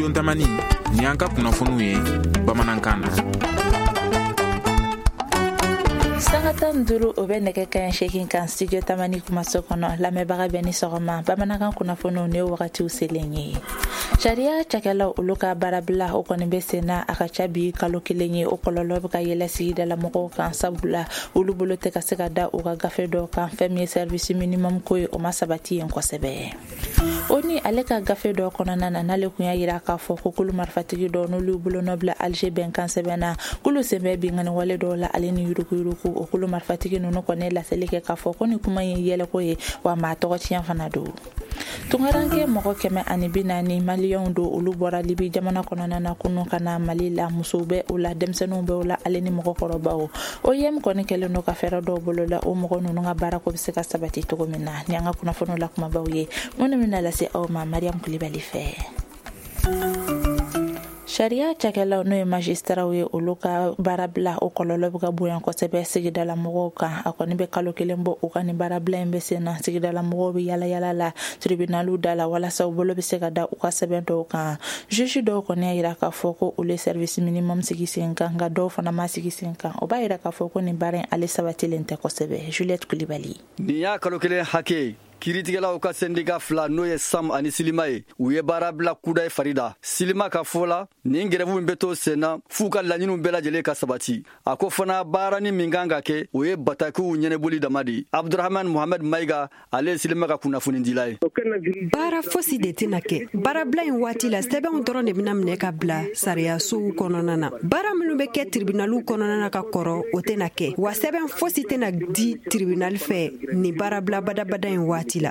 Studio Tamani, nin y'an ka kunnafoniw ye bamanankan na. Sanga 15, o bɛ nɛgɛ kaɲɛ 8 kan Studio Tamani kumaso kɔnɔ. Lamɛnbaga bɛɛ ni sɔgɔma. Bamanankan kunnafoniw, ne wagatiw selen ye. Sariya cakɛlaw, olu ka baarabila, o kɔni bɛ sen na, a ka ca bi kalo 1 ye. O kɔlɔlɔ bɛ ka yɛlɛ sigidala mɔgɔw kan, sabula olu bolo tɛ ka se ka da u ka gafe dɔw kan. Fɛn min ye service minimum ko ye, o ma sabati yen kosɛbɛ. O ni ale ka gafe dɔ kɔnɔna na, n'ale kun y'a yira k'a fɔ ko kulu marifatigi dɔw, n'olu bolonɔ bila Alger bɛnkan sɛbɛn na, k'olu sen bɛ binkanni wale dɔw la ale ni yuruguyurugu, o kulu marifatigi ninnu kɔni laseli kɛ k'a fɔ ko ni kuma ye yɛlɛko ye, wa maa tɔgɔ tiɲɛ fana don. Tungaranke mɔgɔ 140 maliyɛnw don, olu bɔra Libi jamana kɔnɔna na kunu ka na Mali la. Musow bɛ o la, denmisɛnninw bɛ o la, ale ni mɔgɔkɔrɔbaw. OIM kɔni kɛlen don ka fɛɛrɛ dɔw bolo la, o mɔgɔ ninnu ka baarako bɛ se ka sabati cogo min na. Ni an ka kunnafoniw la kumabaw ye minnu bɛna lase aw ma Mariam Kulibali fɛ. Sariya cakɛlaw, n'o ye magistraw ye, olu ka baarabila, o kɔlɔlɔ bɛ ka bonya kosɛbɛ sigidala mɔgɔw kan. A kɔni bɛ kalo 1 bɔ, u ka nin baarabila in bɛ sen na. Sigidala mɔgɔw bɛ yala yala la tribunaliw da la walasa u bolo bɛ se ka da u ka sɛbɛn dɔw kan. Juge dɔw kɔni y'a yira k'a fɔ ko olu ye service minimum sigi sen kan, nka dɔw fana ma sigi sen kan. O b'a yira k'a fɔ ko nin baara in, ale sabatilen tɛ kosɛbɛ. Juliette Kulibali. Nin y'a kalo 1 hakɛ, kiiritigɛlaw ka sɛndika fila, n'o ye SAM ani SYLIMA ye, u ye baara bila kudayi farida. SYLIMA ka fɔ la, nin grève min bɛ to sen na f'u ka laɲiniw bɛɛ lajɛlen ka sabati. A ko fana, baarani min kan ka kɛ, o ye batakiw ɲɛnɛboli dama de ye. Abdurahman Mohamed Mayiga, ale ye SYLIMA ka kunnafonidila ye. Baara fosi de tɛna kɛ baarabila in waati la. Sɛbɛnw dɔrɔn de bɛna minɛ ka bila sariyasow kɔnɔna na. Baara minnu bɛ kɛ tribunaliw kɔnɔna na ka kɔrɔ, o tɛna kɛ, wa sɛbɛn fosi tɛna di tribunal fɛ nin baarabila badabada in waati la.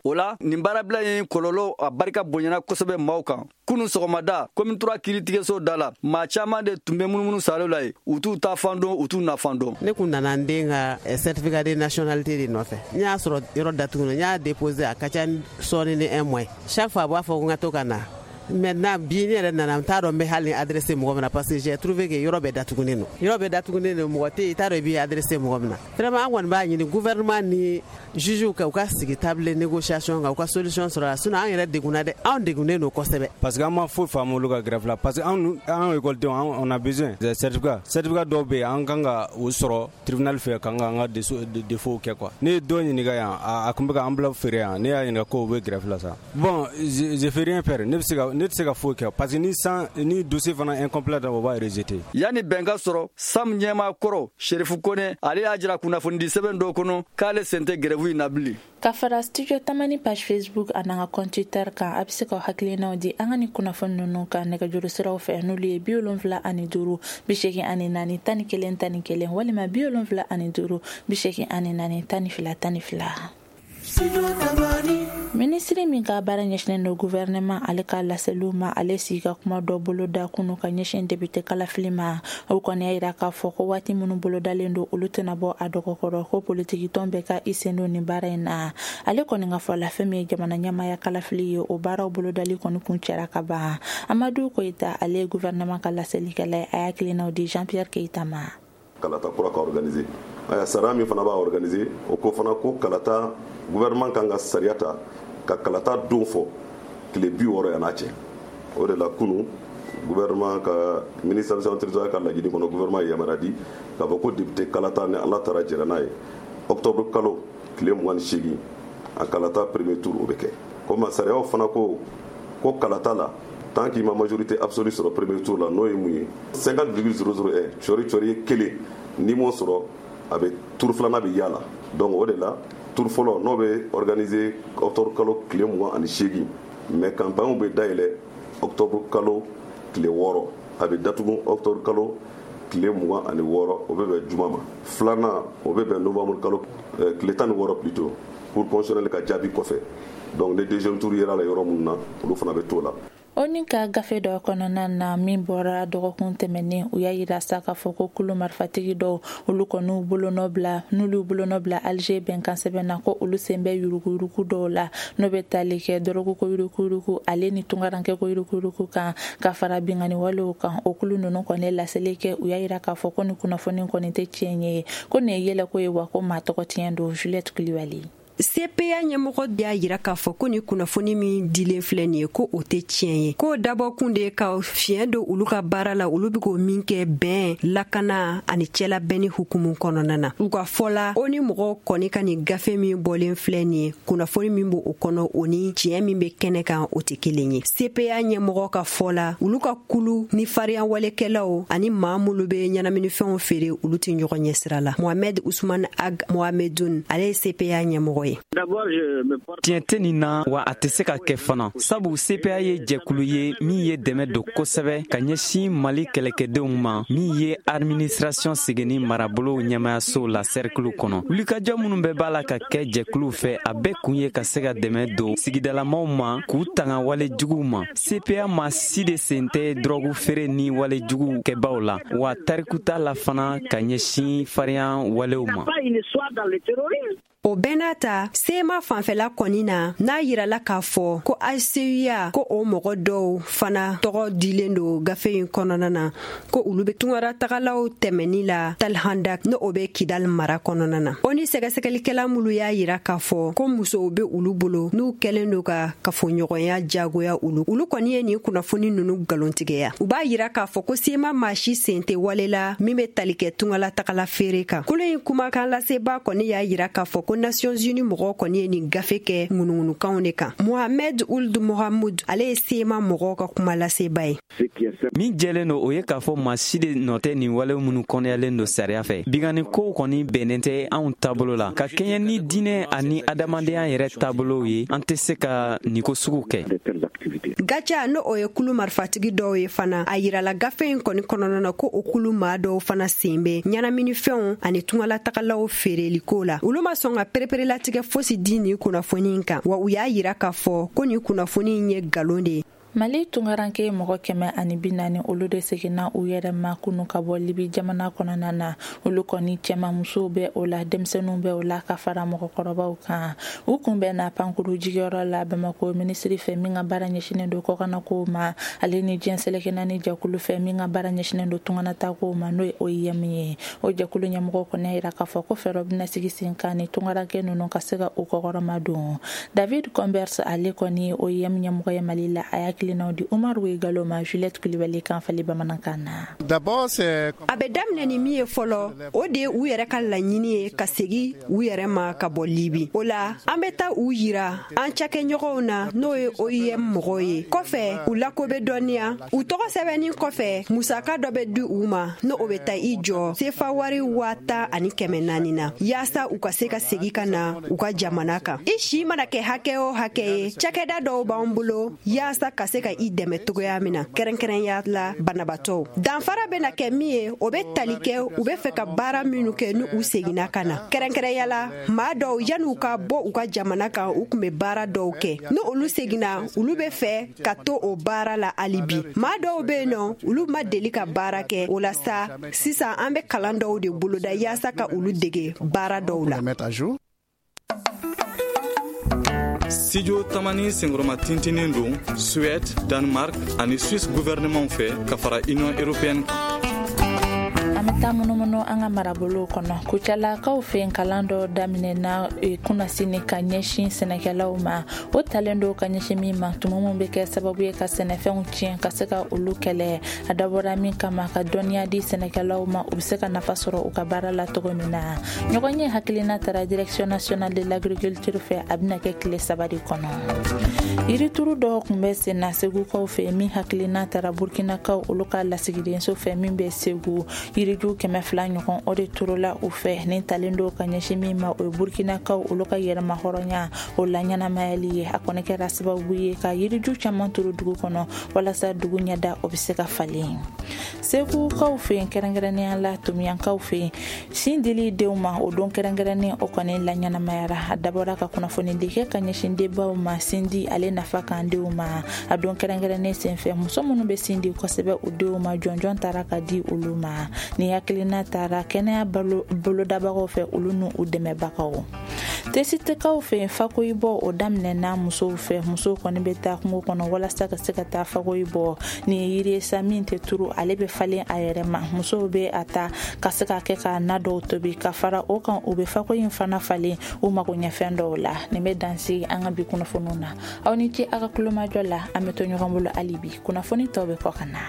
O la, nin baarabila in kɔlɔlɔ, a barika bonyana kosɛbɛ maaw kan. Kunu sɔgɔmada, Commune 3 kiiritigɛso da la, maa caman de tun bɛ munumunu salo la ye. U t'u ta fan dɔn, u t'u na fan dɔn. Ne kun nana n den ka certificat de nationalité de nɔfɛ. N y'a sɔrɔ yɔrɔ datugu, n y'a déposé, a ka ca sɔɔni ni un mois. Chaque fois a b'a fɔ ko n ka to ka na. Maintenant bi, ne yɛrɛ nana, n t'a dɔn n bɛ hali ni adressé mɔgɔ min na, parce que j'ai trouvé que yɔrɔ bɛɛ datugunen don, yɔrɔ bɛɛ datugunen don, mɔgɔ tɛ yen, i t'a dɔn i b'i adressé mɔgɔ min na. Vraiment, an kɔni b'a ɲini gouvernement ni juge ka u ka sigi table négociation kan, u ka solution sɔrɔ la, sinon an yɛrɛ degunna dɛ, anw degunnen don kosɛbɛ. Parce que an ma foyi faamu olu ka grève la, parce que an école denw, on a besoin des certificats. Certificat dɔw bɛ yen, an kan ka o sɔrɔ tribunal fɛ, kan ka an ka défaut kɛ quoi. Ne ye dɔ ɲininka yan, a tun bɛ ka enveloppe feere yan, ne y'a ɲininka ko u bɛ grève la sa. Bon, je fais rien faire, ne bɛ se ka, ne tɛ se ka foyi kɛ, parce que ni san ni dossier fana incomplet, o b'a rejeter. Yanni bɛn ka sɔrɔ, SAM ɲɛmaa kɔrɔ Serifu Kone, ale y'a jira kunnafonidi sɛbɛn dɔw kɔnɔ k'ale sen tɛ grève in na bilen. Ka fara Studio Tamani page Facebook a n'an ka compte Twitter kan, a bɛ se ka hakilinaw di an ka ni kunnafoni ninnu kan nɛgɛjuru siraw fɛ, n'olu ye 75 84 11 11 walima 75 84 12 12. Minisiri min ka baara ɲɛsinnen don gouvernement ale ka laseliw ma, ale sigi ka kuma dɔ bolo da kunu ka ɲɛsin député kalafili ma. O kɔni y'a yira k'a fɔ ko waati minnu bolodalen don, olu tɛna bɔ a dɔgɔkɔrɔ, ko politikitɔn bɛɛ ka i sen don nin baara in na. Ale kɔni ka fɔ la, fɛn min ye jamana ɲɛmaaya kalafili ye, o baaraw bolodali kɔni kun cɛra ka ban. Amadu Koyita, ale ye gouvernement ka laselikɛla ye, a y'a hakilinaw di Jean Pierre Keyita ma. Kalata kura ka organiser aya, sariya min fana b'a organiser, o ko fana ko kalata, gouvernement kan ka sariya ta ka kalata don fɔ tile 60 yan'a cɛ. O de la kunu, gouvernement ka ministre territorial ka laɲini kɔnɔ, gouvernement ye yamaruya di k'a fɔ ko député kalata, ni Ala taara jɛra n'a ye, octobre kalo tile 28, a kalata premier tour, o bɛ kɛ. Komi sariyaw fana ko ko kalata la, tant qu'il ma majorité absolue sɔrɔ premier tour la, n'o ye mun ye, 50,001 cɔri cɔri ye kelen, n'i m'o sɔrɔ, a bɛ tour filanan bɛ yala. Donc o de la, tour fɔlɔ, n'o bɛ organiser octobre kalo tile 28, mais campagne bɛ dayɛlɛ octobre kalo tile 6, a bɛ datugu octobre kalo tile 26, o bɛ bɛn juma ma. Filanan, o bɛ bɛn novembre kalo tile 16 plutôt, Cour constitutionnelle ka jaabi kɔfɛ. Donc ni deuxième tour yera la yɔrɔ minnu na, olu fana bɛ t'o la. O ni ka gafe dɔ kɔnɔna na min bɔra dɔgɔkun tɛmɛnen, u y'a yira sa k'a fɔ ko kulu marifatigi dɔw, olu kɔni bolonɔ bila, n'olu bolonɔ bila Alger bɛnkan sɛbɛn na, ko olu sen bɛ yuruguyurugu dɔw la, n'o bɛ tali kɛ dɔrɔgu ko yuruguyurugu ale ni tungarankɛ ko yuruguyurugu kan, ka fara binkanni walew kan. O kulu ninnu kɔni laseli kɛ, u y'a yira k'a fɔ ko ni kunnafoni kɔni tɛ tiɲɛ ye, ko nin ye yɛlɛko ye, wa ko maa tɔgɔ tiɲɛ don. Juliette Kulibali. CPA ɲɛmɔgɔ y'a yira k'a fɔ ko ni kunnafoni min dilen filɛ nin ye, ko o tɛ tiɲɛ ye, k'o dabɔkun de ka fiɲɛ don olu ka baara la, olu bɛ k'o min kɛ bɛn, lakana ani cɛlabɛnni hukumu kɔnɔna na. U ka fɔ la, o ni mɔgɔw kɔni ka nin gafe min bɔlen filɛ nin ye, kunnafoni min b'o kɔnɔ, o ni tiɲɛ min bɛ kɛnɛ kan, o tɛ kelen ye. CPA ɲɛmɔgɔ ka fɔ la, olu ka kulu ni farinya walekɛlaw ani maa minnu bɛ ɲɛnaminifɛnw feere, olu tɛ ɲɔgɔn ɲɛsira la. Mohamed Usman Ag Mohamedun, ale ye CPA ɲɛmɔgɔ ye. Tiɲɛ tɛ nin na, wa a tɛ se ka kɛ fana, sabu CPA ye jɛkulu ye min ye dɛmɛ don kosɛbɛ ka ɲɛsin Mali kɛlɛkɛdenw ma, min ye administration seginni marabolo ɲɛmayasow la sɛrikiliw kɔnɔ. Wulikajɔ minnu bɛɛ b'a la ka kɛ jɛkuluw fɛ, a bɛɛ kun ye ka se ka dɛmɛ don sigidalamaw ma k'u tanga wale juguw ma. CPA ma si de sen tɛ dɔrɔgu feere ni wale juguw kɛbaw la, wa tariku t'a la fana ka ɲɛsin farinya walew ma. O bɛɛ n'a ta, CMA fanfɛla kɔni na, n'a yirala k'a fɔ ko HCUA, ko o mɔgɔ dɔw fana tɔgɔ dilen don gafe in kɔnɔna na, ko olu bɛ tungaratagalaw tɛmɛni la Talhandak, n'o bɛ Kidal mara kɔnɔna na. O ni sɛgɛsɛgɛlikɛla minnu y'a yira k'a fɔ ko musow bɛ olu bolo n'u kɛlen don ka kafoɲɔgɔnya jagoya olu, olu kɔni ye nin kunnafoni ninnu nkalontigiya. U b'a yira k'a fɔ ko CMA maa si sen tɛ wale la min bɛ tali kɛ tungalatagala feere kan. Kulu in kumakan laseba kɔni y'a yira k'a fɔ ko Nations Unies mɔgɔw kɔni ye nin gafe kɛ ŋunuŋunukanw de kan. Mohamed Ould Mohamoud, ale ye CMA mɔgɔw ka kuma laseba ye. Min jɛlen don, o ye k'a fɔ maa si de nɔ tɛ nin wale minnu kɔnɔyalen don sariya fɛ. Binkanni kow kɔni bɛnnen tɛ anw taabolo la, ka kɛɲɛ ni diinɛ ani adamadenya yɛrɛ taabolow ye. An tɛ se ka nin ko sugu kɛ. GATIA, n'o o ye kulu marifatigi dɔw ye fana, a yirala gafe in kɔni kɔnɔna na ko o kulu maa dɔw fana sen bɛ ɲɛnaminifɛnw ani tungalatagalaw feereliko la. Olu ma sɔn ka pereperelatigɛ fosi di nin kunnafoni in kan, wa u y'a yira k'a fɔ ko nin kunnafoni in ye nkalon de ye. Mali tungaranke mɔgɔ 140, olu de seginna u yɛrɛ ma kunu ka bɔ Libi jamana kɔnɔna na. Olu kɔni cɛma, musow bɛ o la, denmisɛnninw bɛ o la, ka fara mɔgɔkɔrɔbaw kan. U kun bɛ na pankuru jigiyɔrɔ la Bamako, minisiri fɛ min ka baara ɲɛsinen don kɔkannakow ma, ale ni diɲɛ seleke naani jɛkulu fɛ min ka baara ɲɛsinen don tunganatakow ma, n'o ye OIM ye. O jɛkulu ɲɛmɔgɔw kɔni y'a yira k'a fɔ ko fɛɛrɛ bɛna sigi sen kan ni tungaranke ninnu ka se ka u kɔkɔrɔma don. David Converse, ale kɔni ye OIM ɲɛmɔgɔ ye Mali la, a y'a hakilinaw di Umaru Galo ma Juliette Kulibali kan fali bamanankan na. A bɛ daminɛ ni min ye fɔlɔ, o de ye u yɛrɛ ka laɲini ye ka segi u yɛrɛ ma ka bɔ Libi. O la, an bɛ taa u yira an cakɛɲɔgɔnw na, n'o ye OIM mɔgɔw ye. Kɔfɛ, u lako bɛ dɔnniya. U tɔgɔ sɛbɛnni kɔfɛ, musaka dɔ bɛ di u ma, n'o o bɛ taa i jɔ sefa wari 10,400 na, yaasa u ka se ka segi ka na u ka jamana kan. I si mana kɛ hakɛ o hakɛ ye, cakɛda dɔw b'an bolo yaasa ka se ka i dɛmɛ togoya min na, kɛrɛnkɛrɛnya la banabatɔw. Danfara bɛna kɛ min ye, o bɛ tali kɛ u bɛ fɛ ka baara minnu kɛ ni u seginna ka na. Kɛrɛnkɛrɛnya la, maa dɔw, yanni u ka bɔ u ka jamana kan, u tun bɛ baara dɔw kɛ. Ni olu seginna, olu bɛ fɛ ka to o baara la hali bi. Maa dɔw bɛ yen nɔ, olu ma deli ka baara kɛ. O la sa, sisan an bɛ kalan dɔw de boloda yaasa ka olu dege baara dɔw la. Studio Tamani senkɔrɔma tintinin don Suède, Danemark ani Suisse gouvernement fɛ ka fara Union européenne kan. An bɛ taa munumunu an ka marabolow kɔnɔ. Kucalakaw fɛ yen, kalan dɔ daminɛna kunnasini ka ɲɛsin sɛnɛkɛlaw ma. O talen don ka ɲɛsin min ma, tumu min bɛ kɛ sababu ye ka sɛnɛfɛnw tiɲɛ, ka se ka olu kɛlɛ. A dabɔra min kama, ka dɔnniya di sɛnɛkɛlaw ma, u bɛ se ka nafa sɔrɔ u ka baara la cogo min na. Ɲɔgɔn ye hakilina tara Direction nationale de l'agriculture fɛ. A bɛna kɛ tile 3 de kɔnɔ. Yirituru dɔw tun bɛ sen na Segukaw fɛ, min hakilina tara Burkinakaw olu ka lasigidenso fɛ min bɛ Segu. Yiriju 200 ɲɔgɔn, o de turula u fɛ. Nin talen don ka ɲɛsin min ma, o ye Burkinakaw olu ka yɛrɛma hɔrɔnya o la ɲɛnamayali ye. A kɔni kɛra sababu ye ka yiriju caman turu dugu kɔnɔ walasa dugu ɲɛda o bɛ se ka falen. Segukaw fɛ yen, kɛrɛnkɛrɛnnenya la Tomiyankaw fɛ yen, sin dili denw ma, o don kɛrɛnkɛrɛnnen o kɔni la ɲɛnamayara. A dabɔra ka kunnafonidi kɛ ka ɲɛsin denbaw ma, sin di ale nafa kan denw ma. A don kɛrɛnkɛrɛnnen senfɛ, muso minnu bɛ sin di kosɛbɛ u denw ma, jɔnjɔn taara ka di olu ma. Ni hakilina taara kɛnɛya bolodabagaw fɛ, olu n'u dɛmɛbagaw. Tesitikaw fɛ yen, fakoyi bɔ o daminɛna musow fɛ. Musow kɔni bɛ taa kungo kɔnɔ walasa ka se ka taa fakoyi bɔ. Nin ye yiri ye sa min tɛ turu, ale bɛ falen a yɛrɛ ma. Musow bɛ a ta ka se ka kɛ ka na dɔw tobi. Ka fara o kan, u bɛ fakoyi in fana falen u mago ɲɛfɛn dɔw la. Nin bɛ dan sigi an ka bi kunnafoniw na. Aw ni ce aw ka kulomajɔ la. An bɛ to ɲɔgɔn bolo hali bi, kunnafoni tɔw bɛ kɔ ka na.